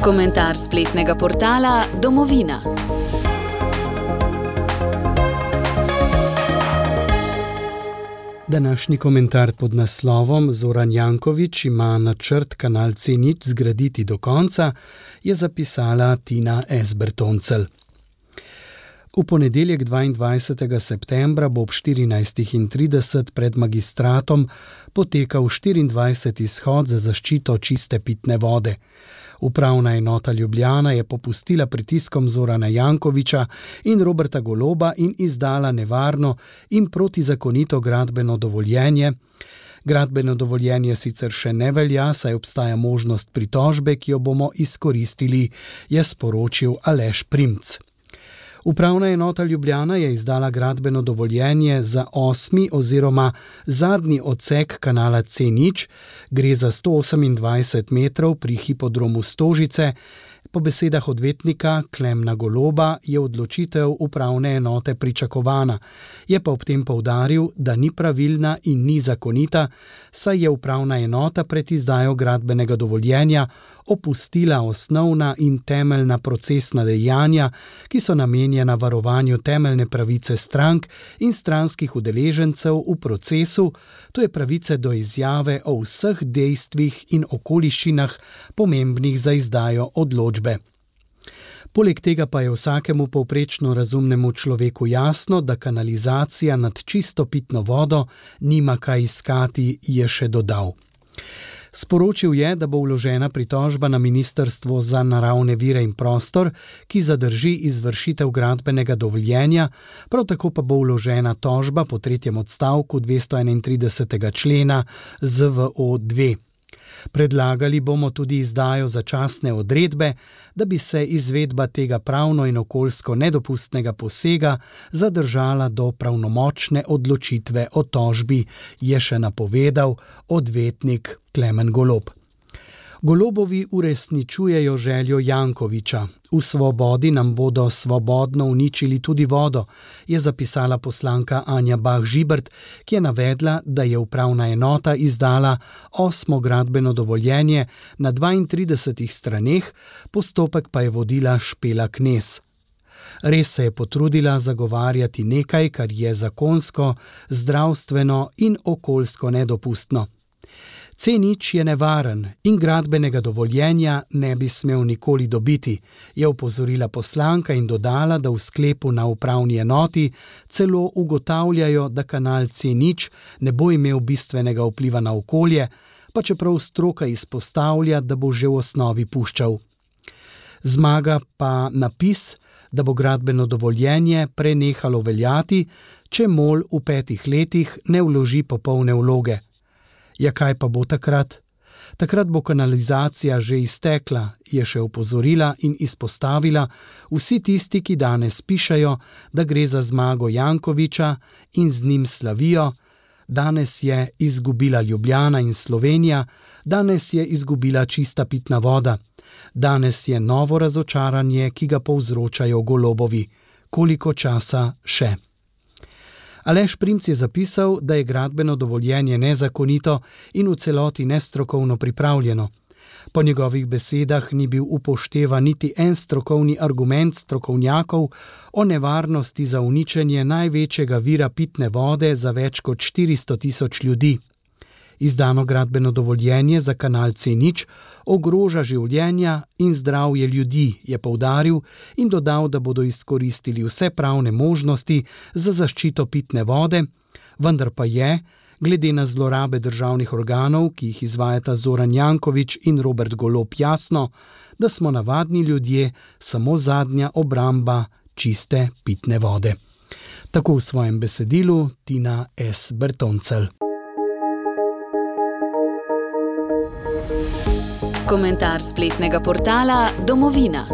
Komentar spletnega portala Domovina. Današnji komentar pod naslovom Zoran Janković ima načrt kanal C0 zgraditi do konca, je zapisala Tina S. Bertoncelj. V ponedeljek 22. septembra bo ob 14:30 pred magistratom potekal 24. shod za zaščito čiste pitne vode. Upravna enota Ljubljana je popustila pritiskom Zorana Jankovića in Roberta Goloba in izdala nevarno in protizakonito gradbeno dovoljenje. Gradbeno dovoljenje sicer še ne velja, saj obstaja možnost pritožbe, ki jo bomo izkoristili, je sporočil Aleš Primc. Upravna enota Ljubljana je izdala gradbeno dovoljenje za 8. oziroma zadnji odsek kanala C0, gre za 128 metrov pri hipodromu Stožice. Po besedah odvetnika Klemna Goloba je odločitev upravne enote pričakovana. Je pa ob tem poudaril, da ni pravilna in ni zakonita, saj je upravna enota pred izdajo gradbenega dovoljenja opustila osnovna in temeljna procesna dejanja, ki so namenjena varovanju temeljne pravice strank in stranskih udeležencev v procesu, to je pravice do izjave o vseh dejstvih in okoliščinah pomembnih za izdajo odločbe. Poleg tega pa je vsakemu povprečno razumnemu človeku jasno, da kanalizacija nad čisto pitno vodo nima kaj iskati, je še dodal. Sporočil je, da bo vložena pritožba na Ministrstvo za naravne vire in prostor, ki zadrži izvršitev gradbenega dovoljenja, prav tako pa bo vložena tožba po 3. odstavku 231. člena ZVO-2. Predlagali bomo tudi izdajo začasne odredbe, da bi se izvedba tega pravno in okoljsko nedopustnega posega zadržala do pravnomočne odločitve o tožbi, je še napovedal odvetnik Klemen Golob. Golobovi uresničujejo željo Jankovića. V svobodi nam bodo svobodno uničili tudi vodo, je zapisala poslanka Anja Bah Žibert, ki je navedla, da je upravna enota izdala 8. gradbeno dovoljenje na 32 straneh, postopek pa je vodila Špela Knez. Res se je potrudila zagovarjati nekaj, kar je zakonsko, zdravstveno in okoljsko nedopustno. C0 je nevaren in gradbenega dovoljenja ne bi smel nikoli dobiti, je opozorila poslanka in dodala, da v sklepu na upravni enoti celo ugotavljajo, da kanal C0 ne bo imel bistvenega vpliva na okolje, pa čeprav stroka izpostavlja, da bo že v osnovi puščal. Zmaga pa napis, da bo gradbeno dovoljenje prenehalo veljati, če MOL v 5 letih ne vloži popolne vloge. Ja, kaj pa bo takrat? Takrat bo kanalizacija že iztekla, je še opozorila in izpostavila, vsi tisti, ki danes pišejo, da gre za zmago Jankovića in z njim slavijo, danes je izgubila Ljubljana in Slovenija, danes je izgubila čista pitna voda, danes je novo razočaranje, ki ga povzročajo Golobovi. Koliko časa še? Aleš Primc je zapisal, da je gradbeno dovoljenje nezakonito in v celoti nestrokovno pripravljeno. Po njegovih besedah ni bil upoštevan niti en strokovni argument strokovnjakov o nevarnosti za uničenje največjega vira pitne vode za več kot 400 000 ljudi. Izdano gradbeno dovoljenje za kanal C0 ogroža življenja in zdravje ljudi, je poudaril in dodal, da bodo izkoristili vse pravne možnosti za zaščito pitne vode, vendar pa je, glede na zlorabe državnih organov, ki jih izvajata Zoran Janković in Robert Golob, jasno, da smo navadni ljudje samo zadnja obramba čiste pitne vode. Tako v svojem besedilu Tina S. Bertoncelj. Komentar spletnega portala Domovina.